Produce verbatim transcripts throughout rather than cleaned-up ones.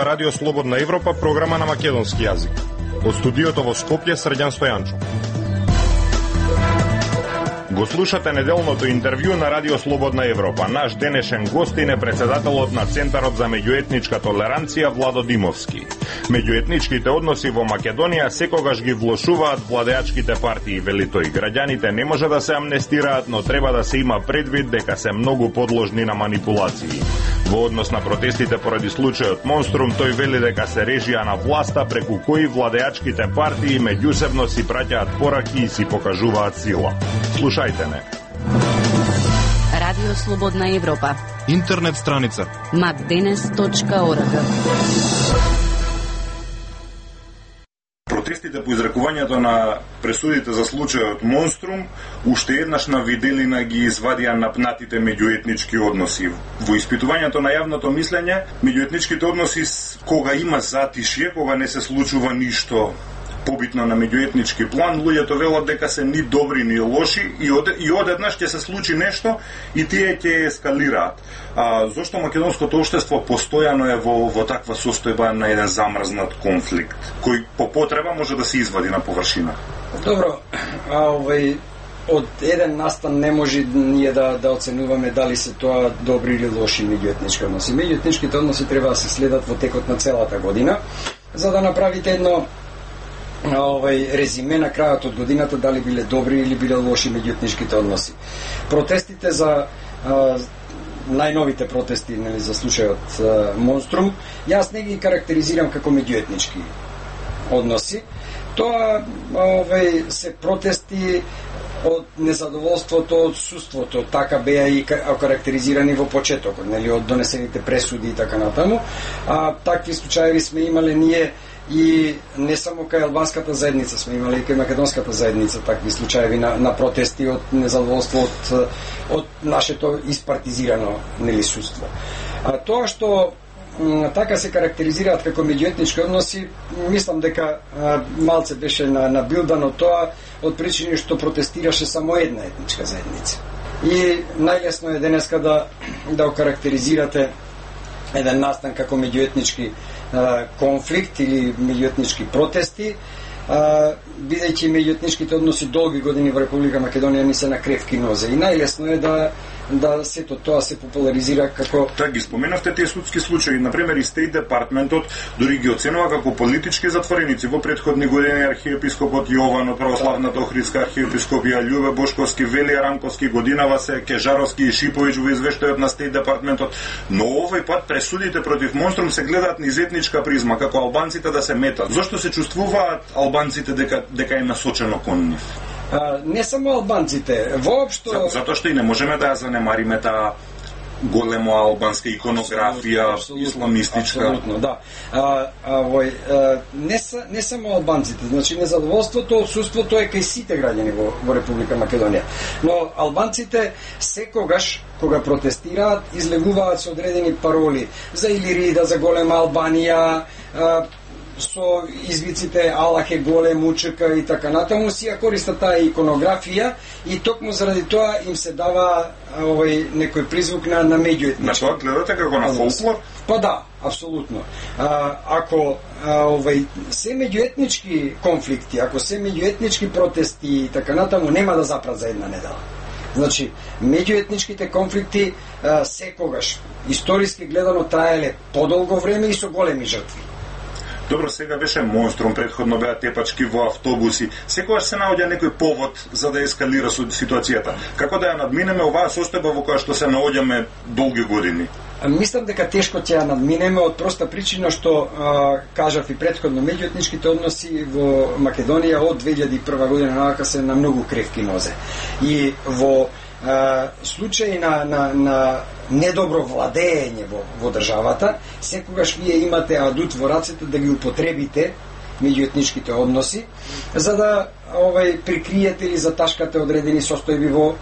зборува Радио Слободна Европа, програма на македонски јазик. Од студиото во Скопје, Срđan Стојанчо. Го слушате неделното интервју на Радио Слободна Европа. Наш денешен гостин е председателот на Центарот за меѓуетничка толеранција Владо Димовски. Меѓуетничките односи во Македонија секогаш ги влошуваат владеачките партии, вели тој. Граѓаните не може да се амнестираат, но треба да се има предвид дека се многу подложни на манипулации. Во однос на протестите поради случајот Монструм, тој вели дека се режија на власта преку кои владеачките партии меѓусебно си праќаат пораки и си покажуваат сила. Слушајте не. Радио Слободна Европа. Интернет страница макденес точка орг. Протестите по изрекувањето на пресудите за случајот Монструм уште еднаш на виделина ги извадија напнатите меѓуетнички односи. Во испитувањето на јавното мислење, меѓуетничките односи кога има затишје, кога не се случува ништо побитно на меѓуетнички план, луѓето велат дека се ни добри ни лоши и од и одеднаш ќе се случи нешто и тие ќе ескалираат. А зошто македонското општество постојано е во во таква состојба на еден замрзнат конфликт кој по потреба може да се извади на површина? Добро, а овој од еден настан не може ние да да оценуваме дали се тоа добри или лоши меѓуетнички односи. Меѓуетничките односи треба да се следат во текот на целата година, за да направите едно овој резиме на крајот од годината дали биле добри или биле лоши меѓуетничките односи. Протестите за а, најновите протести, нели, за случајот а, Монструм, јас не ги карактеризирам како меѓуетнички односи. Тоа овој се протести од незадоволството, од отсуството, така беа и карактеризирани во почетокот, нели, од донесените пресуди и така натаму. А такви случаи сме имале ние и не само кај албанската заедница, сме имали и кај македонската заедница такви случаи на, на протести од незадоволство од, од нашето испартизирано, нели, судство. А тоа што м, така се карактеризираат како меѓуетнички односи, мислам дека а, малце беше на, набилдано тоа од причини што протестираше само една етничка заедница. И најлесно е денеска да да окарактеризирате еден настан како меѓуетнички конфликт или меѓуетнички протести, бидејќи меѓуетничките односи долги години во Република Македонија не се на кревки нозе. И најлесно е да да сето тоа се популаризира како... Так, ги споменавте тие судски случаи. Например, и Стейт Департментот дори ги оценува како политички затвореници. Во претходни години архиепископот Јован од православната Охридска архиепископија, Љубе Бошковски, Велија Рамковски, Годинава се, Кежаровски и Шиповиќ во извештајот на Стейт Департментот. Но овој пат пресудите против Монструм се гледаат низ етничка призма, како албанците да се метат. Зошто се чувствуваат албанците дека дека е насочено кон нив? А, не само албанците, воопшто... За, затоа што и не можеме да ја занемариме таа голема албанска иконографија, абсолютно, исламистичка. Абсолютно, да. А, а, вој, а, не, са, не само албанците, значи незадоволството, отсуството е кај сите граѓани во, во Република Македонија. Но албанците секогаш, кога протестираат, излегуваат со одредени пароли за Илирида, за голема Албанија, а, со извиците Аллах е голем, учека и така натаму, си ја користат таа иконографија и токму заради тоа им се дава овој некој призвук на на меѓуетнички. На тоа гледате како на фолклор? Па да, апсолутно. А, ако а, овој се меѓуетнички конфликти, ако се меѓуетнички протести и така натаму, нема да запрат за една недела. Значи, меѓуетничките конфликти а, секогаш историски гледано траеле подолго време и со големи жртви. Добро, сега беше Монструм, предходно беа тепачки во автобуси. Секогаш се наоѓа некој повод за да ескалира ситуацијата. Како да ја надминеме оваа состојба во која што се наоѓаме долги години? Мислам дека тешко ќе ја надминеме од проста причина што а, кажав и предходно, меѓуетничките односи во Македонија од две илјади и прва година навака се на многу кревки нозе. И во а, случаи на, на, на недобро владење во, во државата, секогаш вие имате адут во рацете да ги употребите меѓуетничките односи, за да овај прикриете или заташкате одредени состојби во,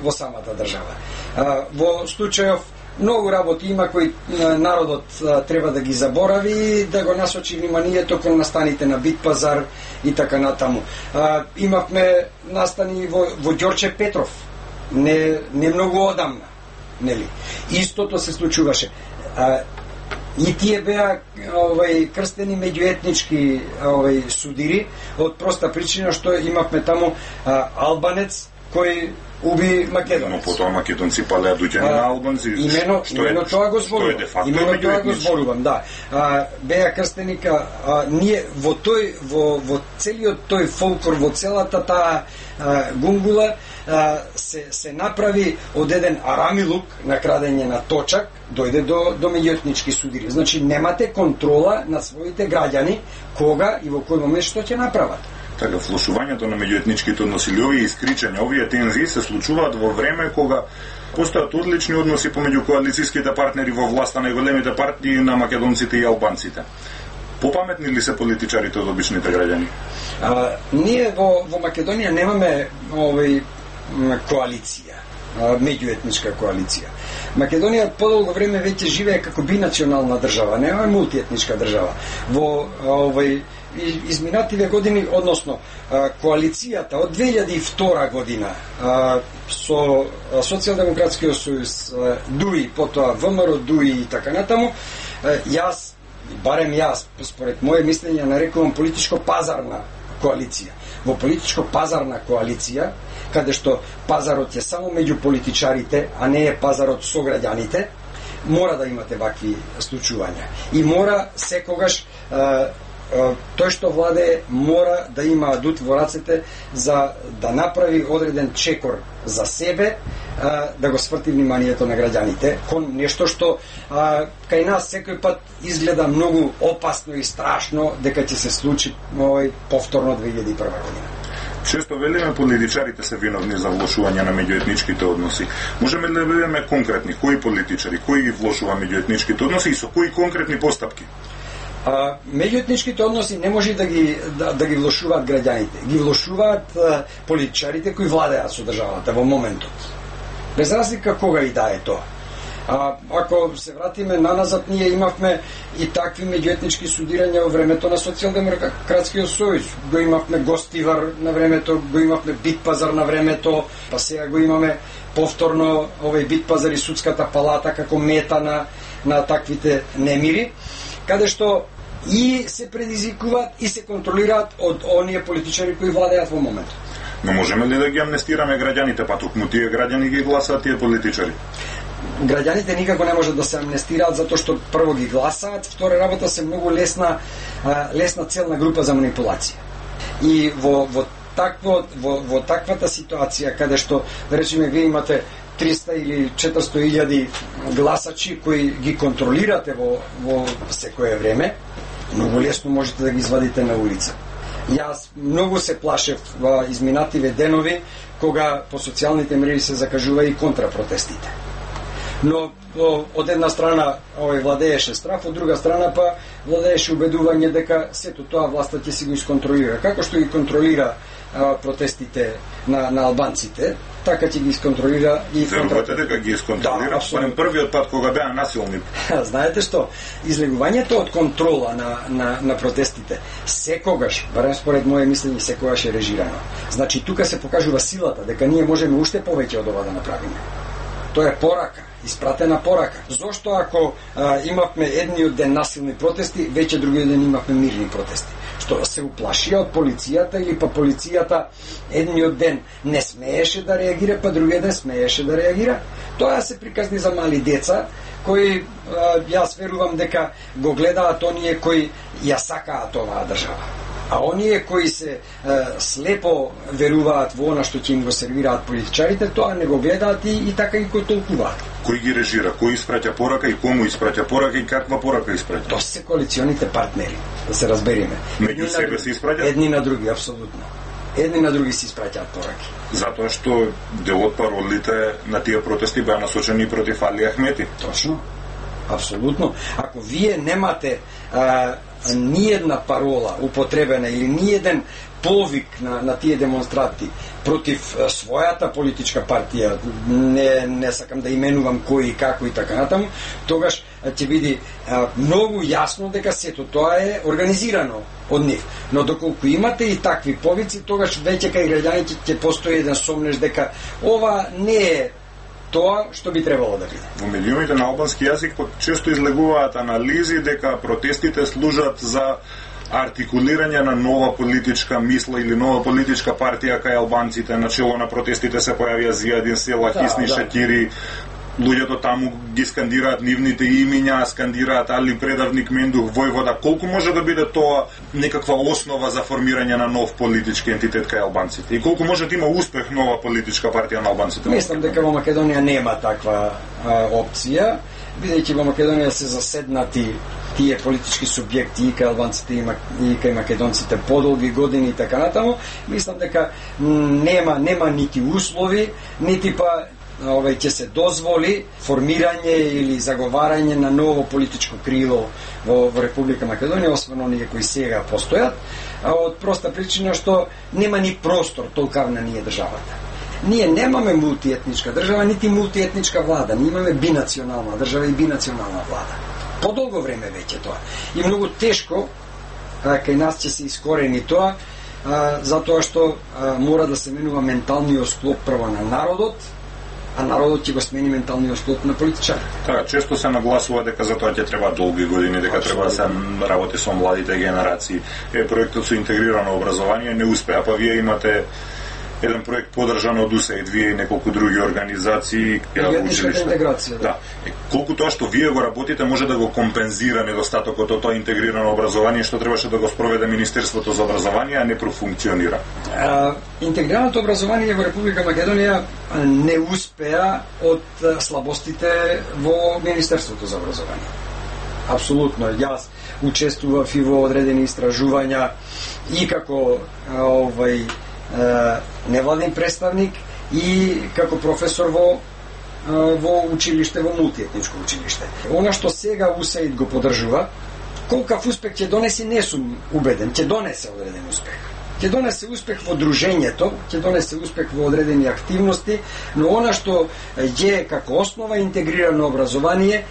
во самата држава. Во случајов многу работи има кои народот треба да ги заборави, да го насочи вниманието кон настаните на Бит пазар и така натаму. Имавме настани во, во Ѓорче Петров, не, не многу одамна. Нели? Истото се случуваше. А, И тие беа овај крстени меѓуетнички овај судири од проста причина што имавме таму а, албанец кој уби македонец. Но потоа македонци палеа доаѓање на албанци. Имено, што имено е, тоа го зборувам. Имено тоа го зборувам, да. А, беа крстеника, а, ние во тој во во целиот тој фолклор, во целата таа а, гунгула а, се се направи од еден арамилук на крадење на точак, дојде до до меѓуетнички судири. Значи немате контрола на своите граѓани кога и во кој момент што ќе направат. Така, влошувањето на меѓуетничките односи или овие искричања, овие тензии се случуваат во време кога постојат одлични односи помеѓу коалицијските партнери во власта на големите партии на македонците и албанците. Попаметни ли се политичарите од обичните граѓани? А, ние во, во Македонија немаме овој коалиција, меѓуетничка коалиција. Македонија подолго време веќе живее како бинационална држава, не е мултиетничка држава. Во овој изминативе години, односно коалицијата од две илјади и втора година со Социјалдемократскиот сојуз, ДУИ, потоа ВМРО, ДУИ и така натаму, јас, барем јас, според моје мислење, нарекувам политичко-пазарна коалиција. Во политичко-пазарна коалиција, каде што пазарот е само меѓу политичарите, а не е пазарот со граѓаните, мора да имате вакви случувања. И мора секогаш тој што владее мора да има адут во рацете за да направи одреден чекор за себе, да го сврти вниманието на граѓаните кон нешто што а, кај нас секој пат изгледа многу опасно и страшно дека ќе се случи овој повторно две илјади и прва година. Често велиме политичарите се виновни за влошување на меѓуетничките односи. Можеме ли да бидеме конкретни? Кои политичари, кои влошува меѓуетничките односи и со кои конкретни постапки? А, меѓуетничките односи не може да ги да, да ги влошуваат граѓаните. Ги влошуваат а, политичарите кои владеат со државата во моментот. Без разлика кога и да е тоа. А, ако се вратиме наназад, ние имавме и такви меѓуетнички судирања во времето на Социјалдемократскиот сојуз. Го имавме Гостивар на времето, го имавме Битпазар на времето, па сега го имаме повторно овој Битпазар и судската палата како мета на, на таквите немири, каде што и се предизвикуваат и се контролираат од оние политичари кои владеат во моментот. Но можеме ли да ги амнестираме граѓаните, па токму тие граѓани ги гласаат тие политичари? Граѓаните никако не можат да се амнестираат затоа што прво ги гласаат, втора работа се многу лесна лесна целна група за манипулација. И во во такво во, во таквата ситуација каде што да речеме вие имате триста или четиристо илјади гласачи кои ги контролирате во во секое време, многу лесно можете да ги извадите на улица. Јас многу се плашев во изминативе денови кога по социјалните мрежи се закажува и контрапротестите. Но од една страна овој владееше страф, од друга страна па владееше убедување дека сето тоа власта ќе си го исконтролира. Како што ги контролира а, протестите на, на албанците, така ќе ги исконтролира и контрапротестите. Верувате дека ги исконтролира? Да, според првиот пат кога беа насилни. Знаете што, излегувањето од контрола на, на, на протестите секогаш, барем според моје мислење, секогаш е режирано. Значи тука се покажува силата дека ние можеме уште повеќе од ова да направиме. Тоа е порака, испратена порака. Зошто ако а, имавме едниот ден насилни протести, веќе другиот ден имавме мирни протести? Што се уплашија од полицијата или па полицијата едниот ден не смееше да реагира, па другиот ден смееше да реагира? Тоа се приказни за мали деца кои а, јас верувам дека го гледаат оние кои ја сакаат оваа држава. А оние кои се е, слепо веруваат во она што ќе им го сервираат политичарите, тоа не го гледаат и, и така и го толкуваат. Кој ги режира? Кој испраќа порака и кому испраќа порака и каква порака испраќа? Тоа се коалиционите партнери, да се разбериме. Меѓу себе се испраќаат? Едни на други, апсолутно. Едни на други се испраќаат пораки. Затоа што дел од паролите на тие протести беа насочени против Али Ахмети. Точно. Апсолутно. Ако вие немате а, ниедна парола употребена или ниеден повик на, на тие демонстрати против а, својата политичка партија, не, не сакам да именувам кој и како и така натаму, тогаш ќе биде а, многу јасно дека сето тоа е организирано од нив. Но доколку имате и такви повици, тогаш веќе кај граѓаните ќе постои еден сомнеш дека ова не е тоа што би требало да биде. Во медиумите на албански јазик често излегуваат анализи дека протестите служат за артикулирање на нова политичка мисла или нова политичка партија кај албанците. Начело на протестите се појавија Зијадин Села, да, Хисни да. Шакири, луѓето таму ги скандираат нивните имиња, скандираат Али Предавник, Мендух, Војвода. Колку може да биде тоа некаква основа за формирање на нов политички ентитет кај албанците? И колку може да има успех нова политичка партија на албанците? Мислам дека во Македонија нема таква а, опција, бидејќи во Македонија се заседнати тие политички субјекти и кај албанците и, и кај македонците подолги години и така натаму. Мислам дека нема нема нити услови, нити па овај ќе се дозволи формирање или заговарање на ново политичко крило во, во Република Македонија, освен оние кои сега постојат, а од проста причина што нема ни простор толкав на ние државата. Ние немаме мултиетничка држава, нити мултиетничка влада, ние имаме бинационална држава и бинационална влада. Подолго време веќе тоа. И многу тешко а, кај нас ќе се искорени тоа, а, затоа што а, мора да се менува менталниот склоп прво на народот, а народот ќе го смени менталниот склоп на политичарите. Така, често се нагласува дека за тоа ќе треба долги години, дека треба да се работи со младите генерации. Е, проектот со интегрирано образование не успеа, па вие имате еден проект подржан од УСАИД, вие и неколку други организации, училишта. Интеграција, да. Да. Е, колку тоа што вие го работите може да го компензира недостатокот од тоа интегрирано образование што требаше да го спроведе Министерството за образование, а не профункционира? А, интегрираното образование во Република Македонија не успеа од слабостите во Министерството за образование. Апсолутно. Јас учествував и во одредени истражувања и како овај невладен представник и како професор во во училиште, во мултиетничко училиште. Она што сега УСАИД го поддржува, колкав успех ќе донеси, не сум убеден, ќе донесе одреден успех. Ќе донесе успех во дружењето, ќе донесе успех во одредени активности, но она што е како основа интегрирано образование,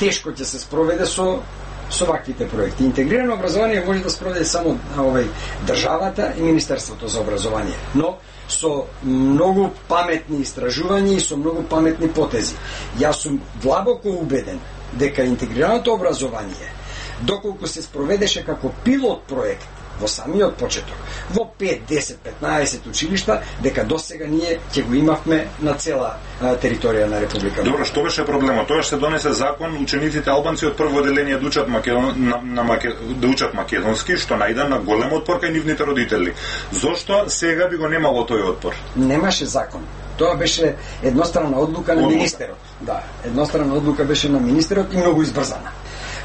тешко ќе се спроведе со со ваквите проекти. Интегрирано образование може да спроведе само овај државата и Министерството за образование, но со многу паметни истражувања и со многу паметни потези. Јас сум длабоко убеден дека интегрираното образование, доколку се спроведеше како пилот проект во самиот почеток, во пет, десет, петнаесет училишта, дека досега ние ќе го имавме на цела а, територија на Република. Добро, што беше проблемот? Тоа што се донесе закон, учениците албанци од прво одделение да учат македон, на, на маке, да учат македонски, што најде на голем отпор кај нивните родители. Зошто сега би го немало тој отпор? Немаше закон. Тоа беше едностранна одлука на Одлука. министерот. Да, едностранна одлука беше на министерот и многу избрзана.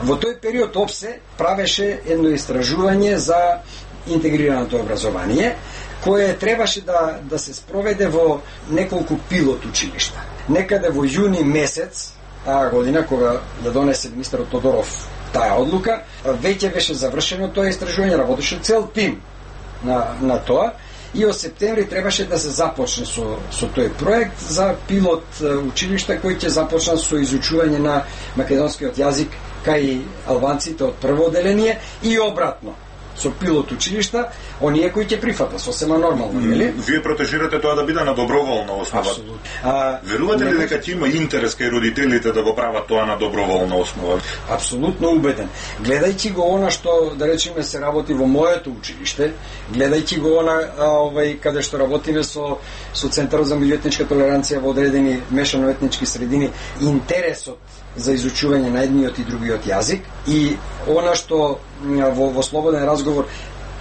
Во тој период ОПСЕ правеше едно истражување за интегрираното образование, кое требаше да, да се спроведе во неколку пилот училишта. Некаде во јуни месец таа година, кога ја донесе министерот Тодоров таа одлука, веќе беше завршено тоа истражување, работеше цел тим на, на тоа, и од септември требаше да се започне со, со тој проект за пилот училишта кој ќе започнат со изучување на македонскиот јазик кај албанците од прво одделение и обратно со пилот училишта, оние кои ќе прифатат сосема нормално, нели? Вие протежирате тоа да биде на доброволна основа. Апсолутно. Верувате ли дека ќе има интерес кај родителите да го прават тоа на доброволна основа? Апсолутно убеден. Гледајќи го она што, да речеме, се работи во моето училиште, гледајќи го она а, овај каде што работиме со со Центарот за меѓуетничка толеранција во одредени мешано етнички средини, интересот за изучување на едниот и другиот јазик и она што во, во слободен разговор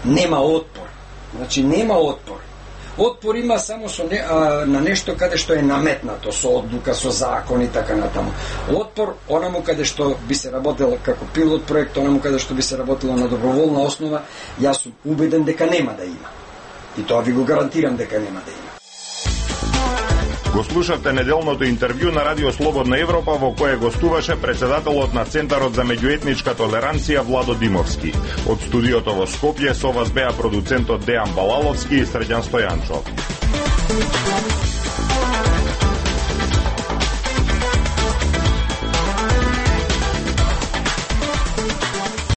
нема отпор. Значи нема отпор. Отпор има само со не, а, на нешто каде што е наметнато со одлука, со закон и така натаму. Отпор онаму каде што би се работело како пилот проект, онаму каде што би се работело на доброволна основа, јас сум убеден дека нема да има. И тоа ви го гарантирам дека нема да има. Го слушавте неделното интервју на Радио Слободна Европа во кое гостуваше председателот на Центарот за меѓуетничка толеранција Владо Димовски. Од студиото во Скопје со вас беа продуцентот Дејан Балаловски и Срđan Стојанчов.